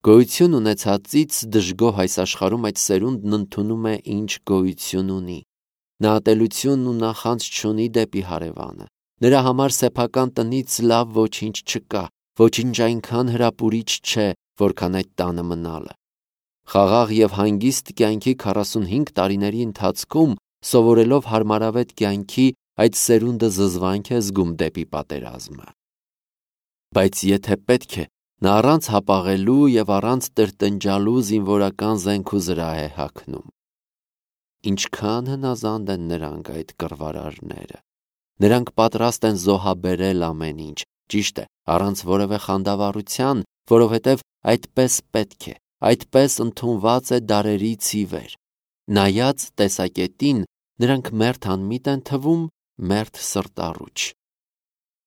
Գոյություն ունեցածից դժգոհ այս աշխարհում այդ սերունդն ընդունում է ինչ գոյություն ունի։ Նա ատելություն ու նախանձ չունի դեպի հարևանը։ Նրա համար սեփական տնից լավ ոչինչ չկա, ոչինչ այնքան հրապուրիչ չէ, որքան այդ տանը մնալը։ Խաղաղ եւ հանգիստ կյանքի 45 տարիների ընթացքում, սովորելով հարմարավետ կյանքի, այդ սերունդը զզվանք է զգում դեպի պատերազմը։ Բայց եթե պետք է, նա առանց հապաղելու եւ առանց տրտնջալու զինվորական զենք ու զրահ է հագնում։ Ինչքան հնազանդ են նրանք այդ կռվարարները։ Նրանք պատրաստ են զոհաբերել ամեն ինչ, ճիշտ է, առանց որևէ խանդավառության, որովհետև այդպես պետք է, այդպես ընդունված է դարերից ի վեր։ Նայած տեսակետին, նրանք մերթ անմիտ են թվում, մերթ սրտառուչ։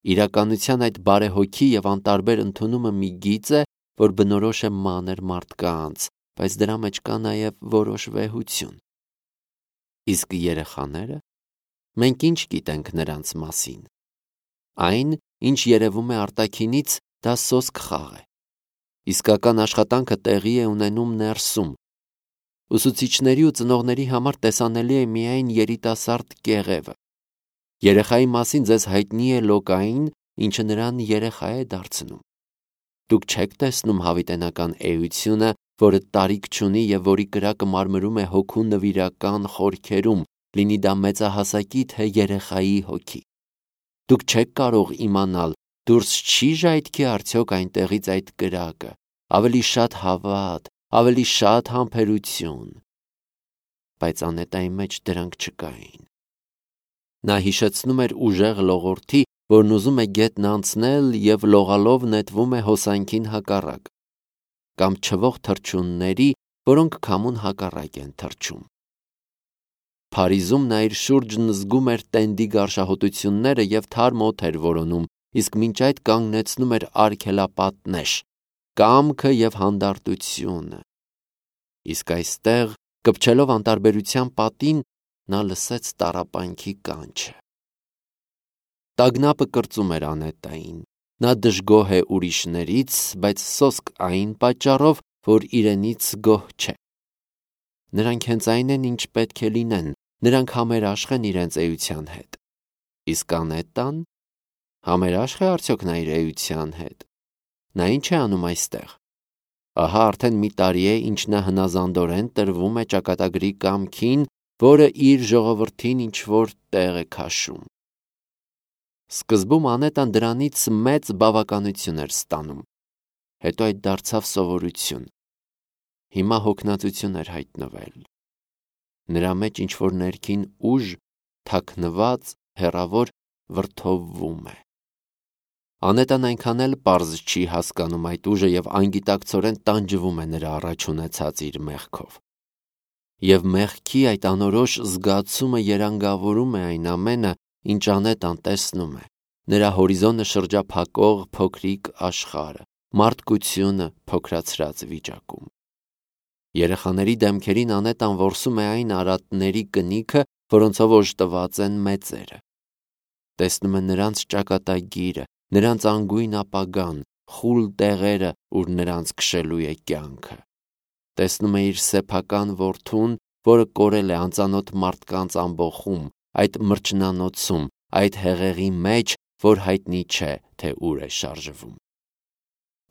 Իրականության այդ բարեհոգի եւ անտարբեր ընդունումը մի գիծ է, որ բնորոշ է մանր մարդկանց, բայց դրա մեջ կա նաեւ որոշ վեհություն։ Իսկ երեխաները, մենք ինչ գիտենք նրանց մասին։ Այն, ինչ երևում է արտաքինից, դա սոսկ խաղ է։ Իսկական աշխատանքը տեղի է ունենում ներսում։ Ուսուցիչների ու ծնողների համար տեսանելի է միայն երիտասարդ կեղևը։ Երեխայի մասին ձեզ հայտնի է լոկային, ինչը նրան երեխա է դարձնում։ Դուք չեք տեսնում հավիտենական էությունը, որը տարիք չունի եւ որի կրակը մարմրում է հոգու նվիրական խորքերում, լինի դա մեծահասակի թե երեխայի հոգի։ Դուք չեք կարող իմանալ, դուրս չի ժայթքի արդյոք այնտեղից այդ կրակը, ավելի շատ հավատ, ավելի շատ համբերություն։ Բայց Անետայի մեջ դրանք չկային։ Նա հիշեցնում էր ուժեղ լողորդի, որն ուզում է գետն անցնել եւ լողալով նետվում է հոսանքին հակառակ, կամ չվող թռչունների, որոնք քամուն հակառակ են թռչում։ Փարիզում նա իր շուրջն զգում էր տենդի գարշահոտությունները եւ թարմ օդ էր որոնում, իսկ մինչ այդ կանգնեցնում էր արգելապատնեշ, կամքը եւ հանդարտությունը։ Իսկ այստեղ, կպչելով անտարբերության պատին, նա լսեց տառապանքի կանչը։ Տագնապը կրծում էր Անետային։ Նա դժգոհ է ուրիշներից, բայց սոսկ այն պատճառով, որ իրենից գոհ չէ։ Նրանք հենց այն են, ինչ պետք է լինեն, նրանք համերաշխ են իրենց էության հետ։ Իսկ Անետան համերաշխ է արդյոք նա իր էության հետ։ Նա ինչ է անում այստեղ։ Ահա արդեն մի տարի է, ինչ նա հնազանդորեն տրվում է ճակատագրի կամքին, որը իր ժողովրդին ինչ-որ տեղ է քաշում։ Սկզբում Անետան դրանից մեծ բավականություն էր ստանում, հետո այդ դարձավ սովորություն։ Հիմա հոգնածություն էր հայտնվել։ Նրա մեջ ինչ-որ ներքին ուժ, թաքնված, հեռավոր վրդովվում է։ Անետան այնքան էլ պարզ չի հասկանում այդ ուժը եւ անգիտակցորեն տանջվում է նրա առաջ ունեցած իր մեղքով։ Եվ մեղքի այդ անորոշ զգացումը երանգավորում է այն ամենը, ինչ Անետան տեսնում է։ Նրա հորիզոնը շրջափակող փոքրիկ աշխարհը, մարդկությունը փոքրացրած վիճակում։ Երեխաների դեմքերին Անետան որսում է այն արատների կնիքը, որոնցով օժտված են մեծերը։ Տեսնում է նրանց ճակատագիրը, նրանց անգույն ապագան, խուլ տեղերը, ուր նրանց քշելու է կյանքը։ Տեսնում է իր սեփական որդուն, որը կորել է անծանոթ մարդկանց ամբոխում, այդ մրջնանոցում, այդ հեղեղի մեջ, որ հայտնի չէ, թե ուր է շարժվում։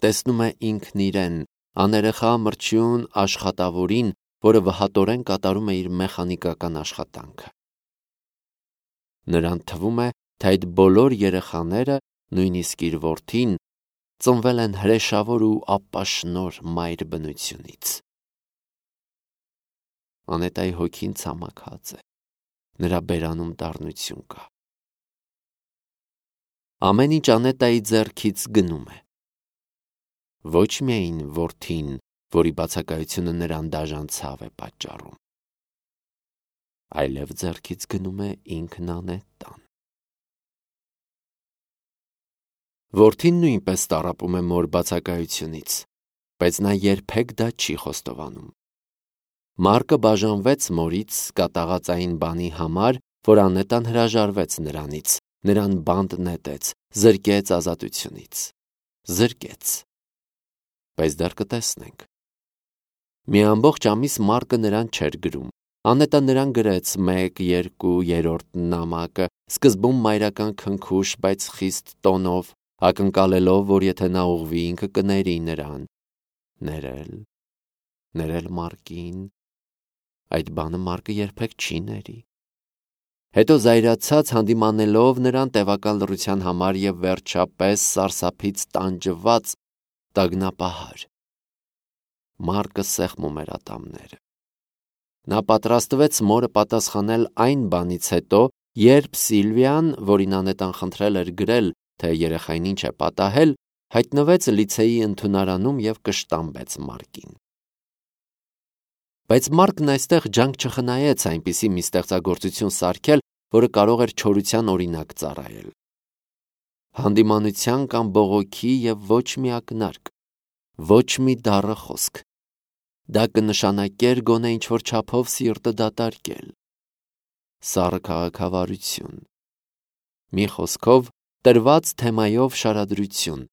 Տեսնում է ինքն իրեն, աներեխա մրջյուն աշխատավորին, որը վհատորեն կատարում է իր մեխանիկական աշխատանքը։ Նրան թվում է, թե այդ բոլոր երեխաները, նույնիսկ իր որդին, ծնվել են հրեշավոր ու ապաշնոր մայր բնությունից։ Անետայի հոգին ցամաքած է, նրա բերանում դառնություն կա։ Ամեն ինչ Անետայի ձեռքից գնում է։ Ոչ միայն որդին, որի բացակայությունը նրան դաժան ցավ է պատճառում, այլև ձեռքից գնում է ինքն Անետան։ Որդին նույնպես տառապում է մոր բացակայությունից, բայց նա երբեք դա չի խոստովանում։ Մարկը բաժանվեց մորից կատաղածային բանի համար, որ Անետան հրաժարվեց նրանից, նրան բանտ նետեց, զրկեց ազատությունից։ Զրկեց։ բայց դեռ կտեսնենք։ Մի ամբողջ ամիս Մարկը նրան չէր գրում։ Անետը նրան գրեց 1-2 նամակը, սկզբում մայրական քնքուշ, բայց խիստ տոնով, ակնկալելով, որ եթե նա ուղղվի, ինքը կների նրան։ Ներել Մարկին, այդ բանը Մարկը երբեք չի ների։ Հետո զայրացած հանդիմանելով նրան տևական լռության համար եւ վերջապես սարսափից տանջված տագնապահար։ Մարկը սեղմում էր ատամները։ Նա պատրաստվեց մորը պատասխանել այն բանից հետո, երբ Սիլվիան, որին Անետան խնդրել էր գրել, թե երեխային ինչ է պատահել, հայտնվեց լիցեի ընդունարանում եւ կշտամբեց Մարկին։ Բայց Մարկն այստեղ ջանք չխնայեց այնպիսի մի ստեղծագործություն սարքել, որը կարող էր չորության օրինակ ծառայել։ Հանդիմանության կամ բողոքի եւ ոչ մի ակնարկ, ոչ մի դառը խոսք։ Դա կնշանակեր գոնե ինչ-որ չափով սիրտը դատարկել։ Սառը քաղաքավարություն։ Մի խոսքով տրված թեմայով շարադրություն։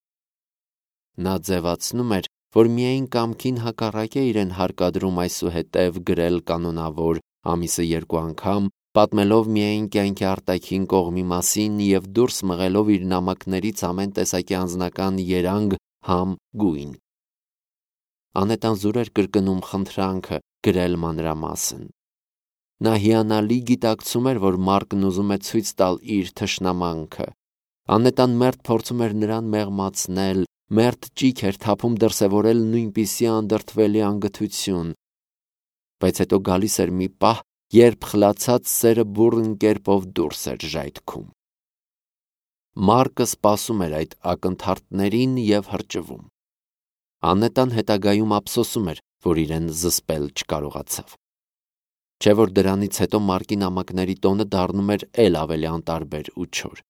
Նա ձևացնում էր, որ միայն կամքին հակառակ է իրեն հարկադրում այսուհետև գրել կանոնավոր ամիսը 2 անգամ, պատմելով միայն կյանքի արտաքին կողմի մասին եւ դուրս մղելով իր նամակներից ամեն տեսակի անձնական երանգ, համ, գույն։ Անետան զուր էր կրկնում խնդրանքը գրել մանրամասն։ Նա հիանալի գիտակցում էր, որ Մարկն ուզում է ցույց տալ իր թշնամանքը։ Անետան մերթ փորձում էր նրան մեղմացնել, մերթ ճիգ էր թափում դրսևորել նույնպիսի անդրդվելի անգթություն։ Բայց հետո գալիս էր մի պահ, երբ խլացած սերը բուռն կերպով դուրս էր ժայթքում։ Մարկը սպասում էր այդ ակնթարթներին եւ հրճվում։ Անետան հետագայում ափսոսում էր, որ իրեն զսպել չկարողացավ։ Չէ որ դրանից հետո Մարկի նամակների տոնը դառնում էր էլ ավելի անտարբեր ու չոր։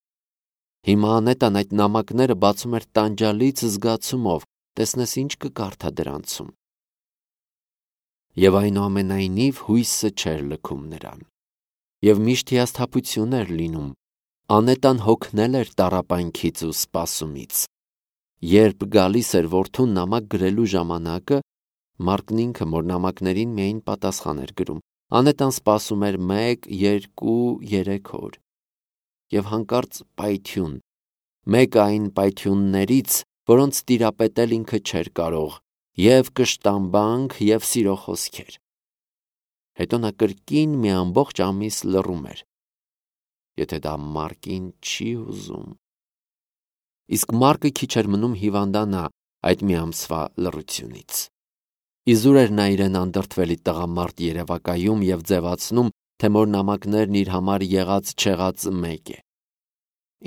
Հիմա Անետան այդ նամակները բացում էր տանջալից զգացումով, տեսնես ինչ կկարդա դրանցում։ Եվ այնուամենայնիվ հույսը չէր լքում նրան։ Եվ միշտ հիասթափություն էր լինում։ Անետան հոգնել էր տառապանքից ու սպասումից։ Երբ գալիս էր որդուն նամակ գրելու ժամանակը, Մարկն ինքը որ նամակներին միայն պատասխան էր գրում։ Անետան սպասում էր 1-2-3 օր։ Եվ հանկարծ պայթյուն։ Մեկ այն պայթյուններից, որոնց տիրապետել ինքը չէր կարող, եւ կշտամբանք եւ սիրո խոսքեր։ Հետո նա կրկին մի ամբողջ ամիս լռում էր։ Եթե դա Մարկին չի ուզում։ Իսկ Մարկը քիչ էր մնում հիվանդանա այդ մի ամսվա լռությունից։ Իզուր էր նա իրեն անդրդվելի տղամարդ երևակայում եւ ձևացնում, թե մոր նամակներն իր համար եղած-չեղածը մեկ է։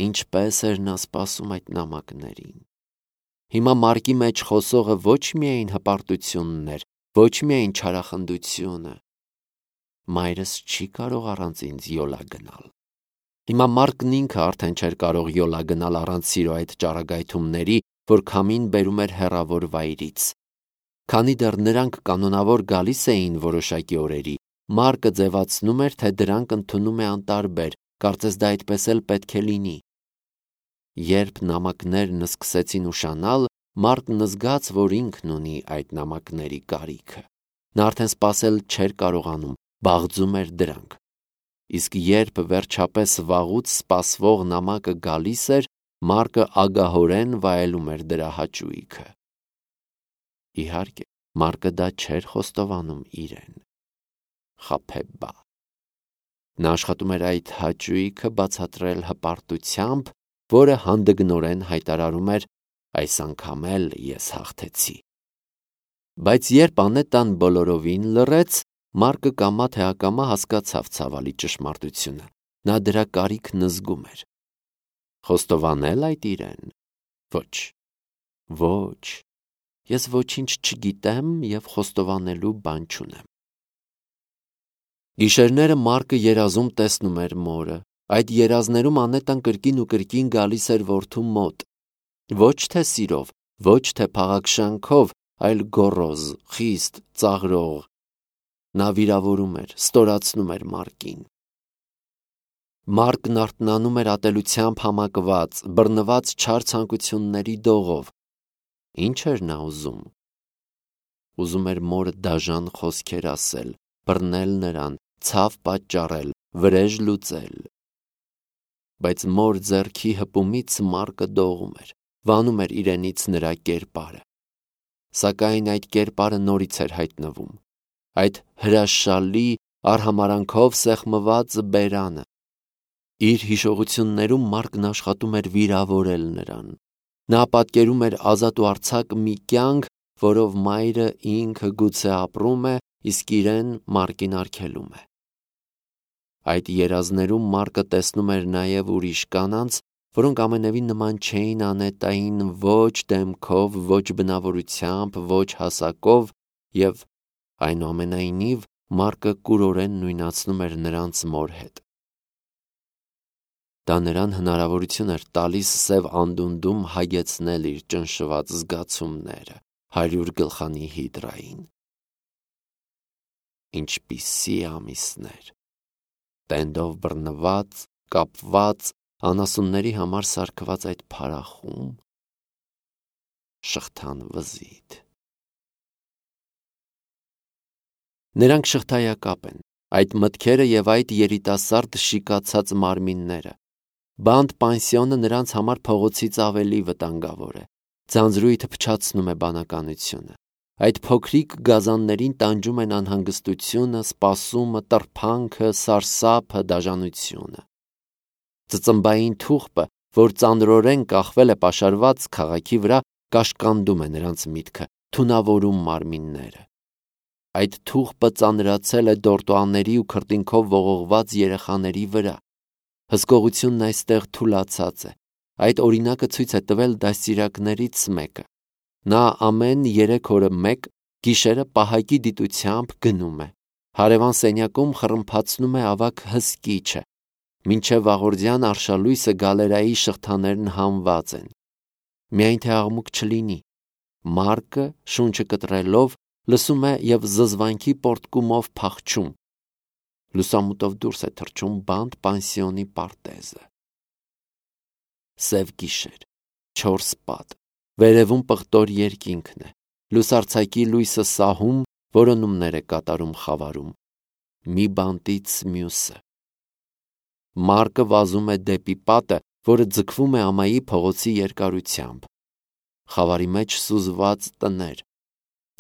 Ինչպես էր նա սպասում այդ նամակներին։ Հիմա Մարկի մեջ խոսողը ոչ միայն հպարտությունն էր, ոչ միայն չարախնդությունը։ Մայրս չի կարող առանց ինձ յոլա գնալ։ Հիմա Մարկն ինքը արդեն չէր կարող յոլա գնալ առանց սիրո այդ ճառագայթումների, որ քամին բերում էր հեռավոր վայրից։ Քանի դեռ նրանք կանոնավոր գալիս էին որոշակի օրերի, Մարկը ձևացնում էր, թե դրանք ընդունում է անտարբեր, կարծես դա այդպես էլ պետք է լինի։ Երբ նամակներն սկսեցին ուշանալ, Մարկն զգաց, որ ինքն ունի այդ նամակների կարիքը։ Նա արդեն սպասել չէր կարողանում, բաղձում էր դրանք։ Իսկ երբ վերջապես վաղուց սպասվող նամակը գալիս էր, Մարկը ագահորեն վայելում էր դրա հաճույքը։ Իհարկե, Մարկը դա չէր խոստովանում իրեն։ Խաբեբա։ Նա աշխատում էր այդ հաճույքը բացատրել հպարտությամբ, որը հանդգնորեն հայտարարում էր այս անգամ էլ ես հաղթեցի։ Բայց երբ Անետան բոլորովին լռեց, Մարկը կամա թե ակամա հասկացավ ցավալի ճշմարտությունը։ Նա դրա կարիքն զգում էր։ Խոստովանել այդ իրեն։ Ոչ, ես ոչինչ չգիտեմ եւ խոստովանելու բան չունեմ։ Գիշերները Մարկը երազում տեսնում էր մորը։ Այդ երազներում Անետան կրկին ու կրկին գալիս էր որդու մոտ։ Ոչ թե սիրով, ոչ թե փաղաքշանքով, այլ գոռոզ, խիստ, ծաղրող։ Նա վիրավորում էր, ստորացնում էր Մարկին։ Մարկն արթնանում էր ատելությամբ համակված, բռնված չար ցանկությունների դողով։ Ինչ էր նա ուզում։ Ուզում էր մորը դաժան խոսքեր ասել, բռնել նրան, ցավ պատճառել, վրեժ լուծել։ Բայց մոր ձեռքի հպումից Մարկը դողում էր, վանում էր իրենից նրա կերպարը։ Սակայն այդ կերպարը նորից էր հայտնվում, այդ հրաշալի արհամարանքով սեղմված բերանը։ Իր հիշողություններում Մարկն աշխատում էր վիրավորել նրան։ Նա պատկերում էր ազատ ու արձակ մի կյանք, որով մայրը ինքը գուցե ապրում է, իսկ իրեն Մարկին արգելում է։ Այդ երազներում Մարկը տեսնում էր նաև ուրիշ կանանց, որոնք ամենևին նման չէին Անետային ոչ դեմքով, ոչ բնավորությամբ, ոչ հասակով, և այնուամենայնիվ Մարկը կուրորեն նույնացնում էր նրանց մոր հետ։ Դա նրան հնարավորություն էր տալիս սև անդունդում հագեցնել իր ճնշված զգացումները 100 գլխանի հիդրային։ Ինչպիսի ամիսներ, տենդով բռնված, կապված, անասունների համար սարքված այդ փարախում, շղթան վզիթ։ Նրանք շղթայակապ են, այդ մտքերը և այդ երիտասարդ շիկացած մարմինները։ Բանտ պանսիոնը նրանց համար փողոցից ավելի վտանգավոր է։ Ձանձրույթը փչացնում է բանականությունը։ Այդ փոքրիկ գազաններին տանջում են անհանգստությունը, սպասումը, տրփանքը, սարսափը, դաժանությունը։ Ծծմբային թուղթը, որ ծանրորեն կախվել է պաշարված քաղաքի վրա, կաշկանդում է նրանց միտքը, թունավորում մարմինները։ Այդ թուղթը ծանրացել է դորտոանների ու քրտինքով ողողված երեխաների վրա։ Հսկողությունն այստեղ թուլացած է։ Այդ օրինակը ցույց է տվել դաստիարակներից մեկը։ Նա ամեն 3 օրը մեկ գիշերը պահակի դիտությամբ գնում է։ Հարևան սենյակում խռմփացնում է ավագ հսկիչը։ Մինչև վաղորդյան արշալույսը գալերայի շղթաներն հանված են։ Միայն թե աղմուկ չլինի։ Մարկը, շունչը կտրելով, լսում է և զզվանքի պոռթկումով փախչում։ Լուսամուտով դուրս է թռչում բանտ պանսիոնի պարտեզը։ Սև գիշեր, 4 պատ, վերևում պղտոր երկինքն է, լուսարձակի լույսը սահում, որոնումներ է կատարում խավարում, մի բանտից մյուսը։ Մարկը վազում է դեպի պատը, որը ձգվում է ամայի փողոցի երկարությամբ։ Խավարի մեջ սուզված տներ։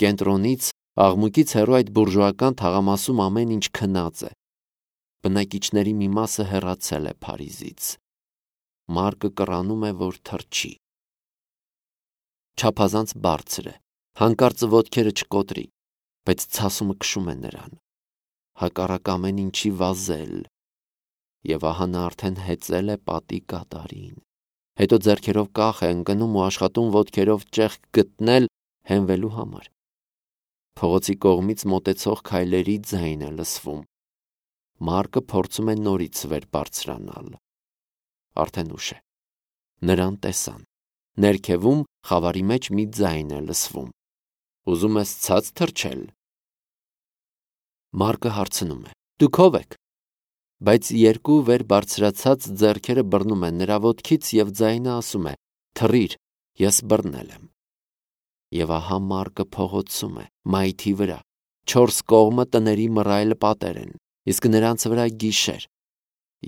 Կենտրոնից, աղմուկից հեռու այդ բուրժուական թաղամասում ամեն ինչ քնած է։ Բնակիչների մի մասը հեռացել է Փարիզից։ Մարկը կռանում է, որ թռչի։ Չափազանց բարձր է, հանկարծ ոտքերը չկոտրի, բայց ցասումը քշում է նրան։ Հակառակ ամեն ինչի վազել։ Եվ ահա նա արդեն հեծել է պատի կատարին։ Հետո ձեռքերով կախ է ընկնում ու աշխատում ոտքերով ճեղք գտնել հենվելու համար։ Փողոցի կողմից մոտեցող քայլերի ձայն է լսվում։ Մարկը փորձում է նորից վեր բարձրանալ։ Արդեն ուշ է։ Նրան տեսան։ Ներքևում խավարի մեջ մի ձայն է լսվում։ Ուզում ես ցած թռչել։ Մարկը հարցնում է. Դուք ով եք։ Բայց երկու վեր բարձրացած ձեռքերը բռնում են նրա ոտքից և ձայնը ասում է. Թռիր, ես բռնել եմ։ Եվ ահա Մարկը փողոցում է, մայթի վրա։ 4 կողմը տների մռայլ պատեր են, իսկ նրանց վրա գիշեր։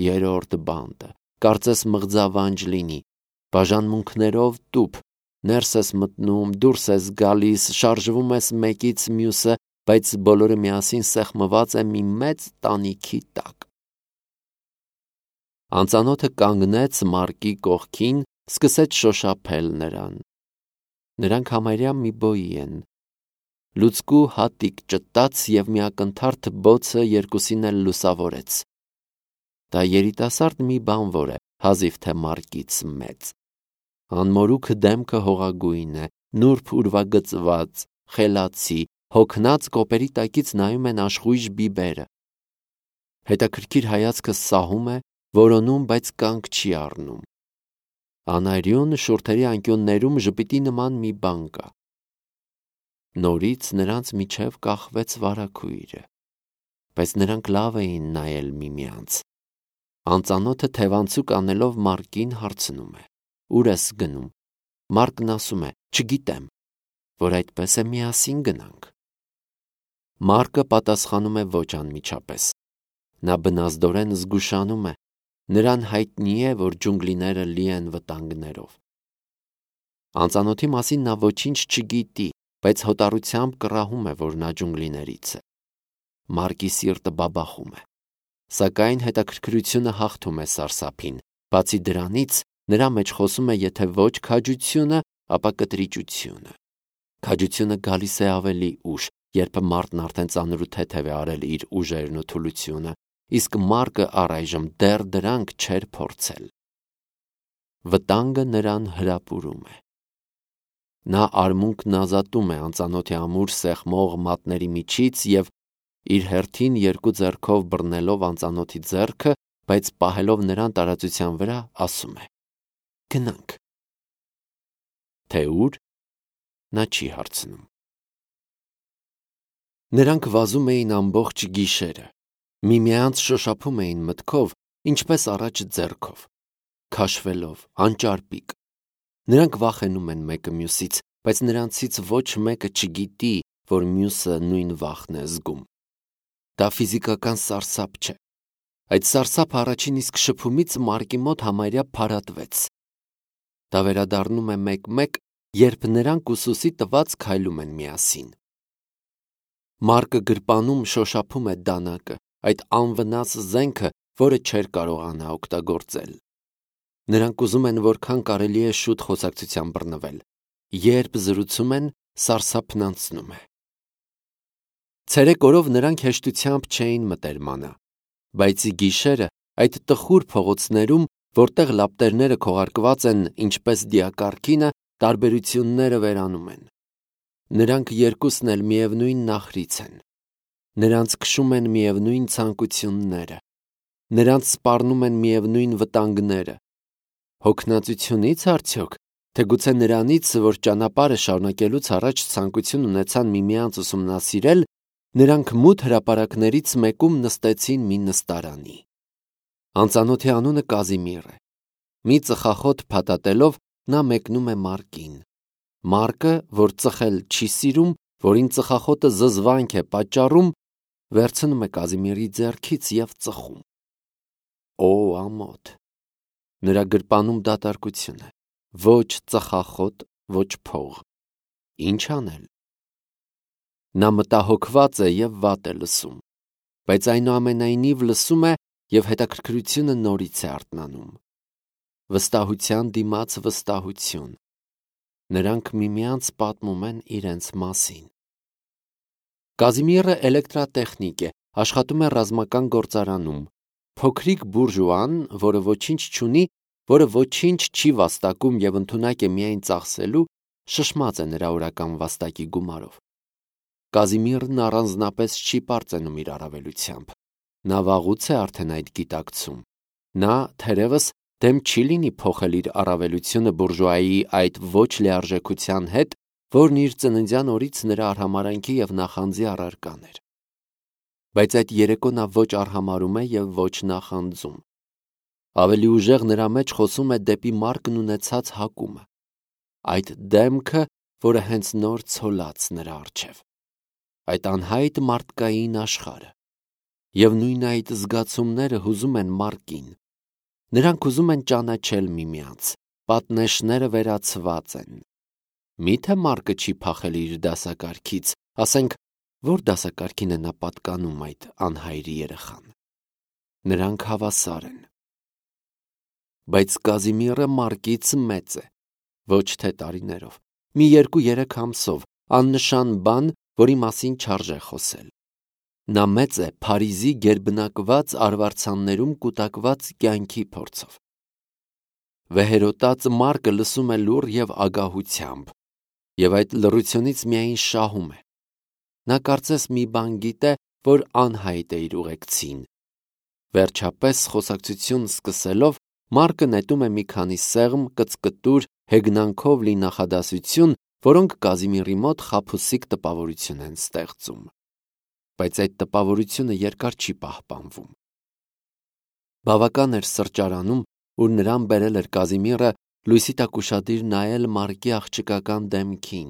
Երրորդ բանտը, կարծես մղձավանջ լինի, բաժանմունքներով տուփ, ներս ես մտնում, դուրս ես գալիս, շարժվում ես մեկից մյուսը, բայց բոլորը միասին սեղմված է մի մեծ տանիքի տակ։ Անծանոթը կանգնեց Մարկի կողքին, սկսեց շոշափել նրան։ Նրանք համարյա մի բոյի են։ Լուցկու հատիկ ճտաց և մի ակնթարթ բոցը երկուսին էլ լուսավորեց։ Դա երիտասարդ մի բանվոր է, հազիվ թե Մարկից մեծ։ Անմորուք դեմքը հողագույն է, նուրբ ուրվագծված, խելացի, հոգնած կոպերի տակից նայում են աշխույժ բիբերը։ Հետաքրքիր հայացքը սահում է, որոնում, բայց կանգ չի առնում։ Անարյուն շուրթերի անկյուններում ժպիտի նման մի բան կա։ Նորից նրանց միջև կախվեց վարագույրը, բայց նրանք լավ էին նայել միմյանց։ Անծանոթը թևանցուկ անելով Մարկին հարցնում է. Ուր ես գնում։ Մարկն ասում է. չգիտեմ, որ այդպես է միասին գնանք։ Մարկը պատասխանում է ոչ անմիջապես։ Նա բնազդորեն զգուշանում է, նրան հայտնի է, որ ջունգլիները լի են վտանգներով։ Անծանոթի մասին նա ոչինչ չգիտի, բայց հոտառությամբ կռահում է, որ նա ջունգլիներից է։ Մարկի սիրտը բաբախում է, սակայն հետաքրքրությունը հաղթում է սարսափին, բացի դրանից նրա մեջ խոսում է եթե ոչ քաջությունը, ապա կտրիճությունը։ Քաջությունը գալիս է ավելի ուշ, երբ մարդն արդեն ծանր ու թեթև է արել իր ուժերն ու թուլությունը, իսկ Մարկը առայժմ դեռ դրանք չէր փորձել։ Վտանգը նրան հրապուրում է։ Նա արմունկն ազատում է անծանոթի ամուր սեղմող մատների միջից և իր հերթին երկու ձեռքով բռնելով անծանոթի ձեռքը, բայց պահելով նրան տարածության վրա, ասում է. «Գնանք»։ Թե ուր, նա չի հարցնում։ Նրանք վազում էին ամբողջ գիշերը, միմյանց շոշափում էին մտքով, ինչպես առաջ ձեռքով, քաշվելով, անճարպիկ։ Նրանք վախենում են մեկը մյուսից, բայց նրանցից ոչ մեկը չգիտի, որ մյուսը նույն վախն է զգում։ Դա ֆիզիկական սարսափ չէ։ Այդ սարսափը առաջին իսկ շփումից Մարկի մոտ համարյա փարատվեց։ Դա վերադառնում է մեկ-մեկ, երբ նրանք ուսուսի տված քայլում են միասին։ Մարկը գրպանում շոշափում է դանակը, այդ անվնաս զենքը, որը չէր կարողանա օգտագործել։ Նրանք ուզում են որքան կարելի է շուտ խոսակցության բռնվել։ Երբ զրուցում են, սարսափն անցնում է։ Ցերեկ օրով նրանք հեշտությամբ չէին մտերմանա, բայց գիշերը այդ տխուր փողոցներում, որտեղ լապտերները քողարկված են ինչպես դիակառքինը, տարբերությունները վերանում են։ Նրանք երկուսն էլ միևնույն նախրից են։ Նրանց քշում են միևնույն ցանկությունները։ Նրանց սպառնում են միևնույն վտանգները։ Հոգնածությունի՞ց արդյոք, թե գուցե նրանից, որ ճանապարհը շարունակելուց առաջ ցանկություն ունեցան միմյանց ուսումնասիրել, նրանք մութ հրապարակներից մեկում նստեցին մի նստարանի։ Անծանոթի անունը Կազիմիր է։ Մի ծխախոտ փաթաթելով նա մեկնում է Մարկին։ Մարկը, որ ծխել չի սիրում, որին ծխախոտը զզվանք է պատճառում, վերցնում է Կազիմիրի ձեռքից և ծխում։ Օ, ամոթ։ Նրա գրպանում դատարկություն է։ Ոչ ծխախոտ, ոչ փող։ Ինչ անել։ Նա մտահոգված է և վատ է լսում, բայց այնուամենայնիվ լսում է և հետաքրքրությունը նորից է արթնանում։ Վստահության դիմաց վստահություն։ Նրանք միմյանց պատմում են իրենց մասին։ Կազիմիրը էլեկտրատեխնիկ է, աշխատում է ռազմական գործարանում։ Փոքրիկ բուրժուան, որը ոչինչ չունի, որը ոչինչ չի վաստակում և ընդունակ է միայն ծախսելու, շշմած է նրա օրական վաստակի գումարով։ Կազիմիրն առանձնապես չի պարծենում իր առավելությամբ։ Նա վաղուց է արդեն այդ գիտակցում։ Նա, թերևս, դեմ չի լինի փոխել իր առավելությունը բուրժուայի այդ ոչ լիարժեքության հետ, որն իր ծննդյան օրից նրա արհամարհանքի և նախանձի առարկան էր։ Բայց այդ երեկո նա ոչ արհամարհում է և ոչ նախանձում։ Ավելի ուժեղ նրա մեջ խոսում է դեպի Մարկն ունեցած հակումը։ Այդ դեմքը, որը հենց նոր ցոլած նրա առջև։ Այդ անհայտ մարդկային աշխարհը։ Եվ նույն այդ զգացումները հուզում են Մարկին։ Նրանք ուզում են ճանաչել միմյանց, պատնեշները վերացված են։ Մի՞թե Մարկը չի փախել իր դասակարգից, ասենք, որ դասակարգին է նա պատկանում այդ անհայրի երեխան։ Նրանք հավասար են։ Բայց Կազիմիրը Մարկից մեծ է, ոչ թե տարիներով, մի 2-3 ամսով, աննշան բան, որի մասին չարժե խոսել։ Նա մեծ է Փարիզի գերբնակված արվարձաններում կուտակված կյանքի փորձով։ Վեհերոտած Մարկը լսում է լուռ և ագահությամբ, և այդ լռությունից միայն շահում է։ Նա կարծես մի բան գիտե, որ անհայտ է իր ուղեկցին։ Վերջապես խոսակցություն սկսելով, Մարկը նետում է մի քանի սեղմ, կծկտուր, հեգնանքով լի նախադասություն, որոնք Կազիմիրի մոտ խաբուսիկ տպավորություն են ստեղծում։ Բայց այդ տպավորությունը երկար չի պահպանվում։ Բավական էր սրճարանում, ուր նրան բերել էր Կազիմիրը, լույսի տակ ուշադիր նայել Մարկի աղջկական դեմքին։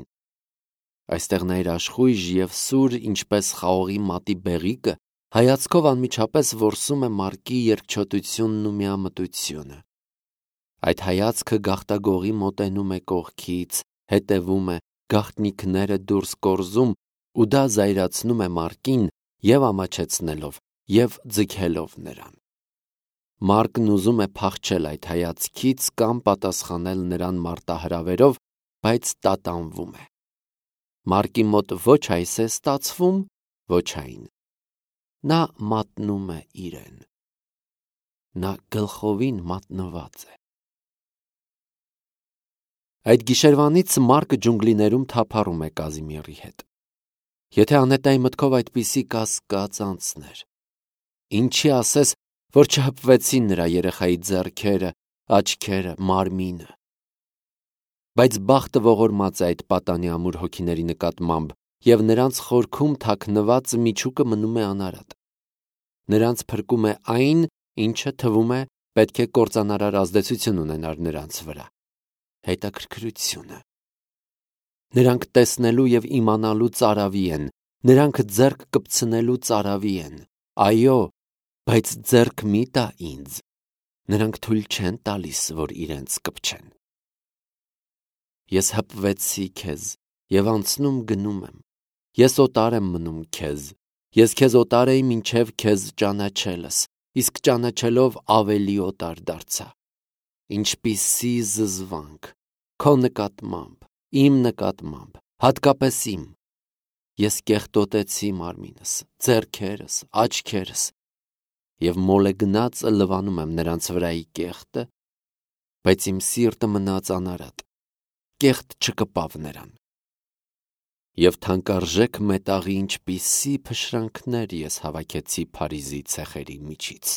Այստեղ նա իր աշխույժ և սուր, ինչպես խաղողի մատի բեղիկը, հայացքով անմիջապես որսում է Մարկի երկչոտությունն ու միամտությունը։ Այդ հայացքը գաղտագողի մոտենում է կողքից, հետևում է, գաղտնիքները դուրս կորզում ու դա զայրացնում է Մարկին և ամաչեցնելով, և ձգելով նրան։ Մարկն ուզում է փախչել այդ հայացքից կամ պատասխանել նրան մարտահրավերով, բայց տատանվում է։ Մարկի մոտ ոչ այս է ստացվում, ոչ այն։ Նա մատնում է իրեն։ Նա գլխովին մատնված է։ Այդ գիշերվանից Մարկը ջունգլիներում թափառում է Կազիմիրի հետ։ Եթե Անետայի մտքով այդպիսի կասկած անցներ, ինչի ասես, որ չհպվեցին նրա երեխայի ձեռքերը, աչքերը, մարմինը։ Բայց բախտը ողորմած է այդ պատանի ամուր հոգիների նկատմամբ, և նրանց խորքում թաքնված միջուկը մնում է անարատ։ Նրանց փրկում է այն, ինչը թվում է պետք է կործանարար ազդեցություն ունենար նրանց վրա՝ հետաքրքրությունը։ Նրանք տեսնելու և իմանալու ծարավի են, նրանք ձեռք կպցնելու ծարավի են։ Այո, բայց ձեռք մի տա ինձ։ Նրանք թույլ չեն տալիս, որ իրենց կպչեն։ Ես հպվեցի քեզ և անցնում գնում եմ։ Ես օտար եմ մնում քեզ։ Ես քեզ օտար էի մինչև քեզ ճանաչելս, իսկ ճանաչելով ավելի օտար դարձա։ Ինչպիսի զզվանք քո նկատմամբ, իմ նկատմամբ, հատկապես իմ։ Ես կեղտոտեցի մարմինս, ձեռքերս, աչքերս և մոլեգնածը լվանում եմ նրանց վրայի կեղտը, բայց իմ սիրտը մնաց անարատ, կեղտ չկպավ նրան։ Եվ թանկարժեք մետաղի ինչպիսի փշրանքներ ես հավաքեցի Փարիզի ցեխերի միջից։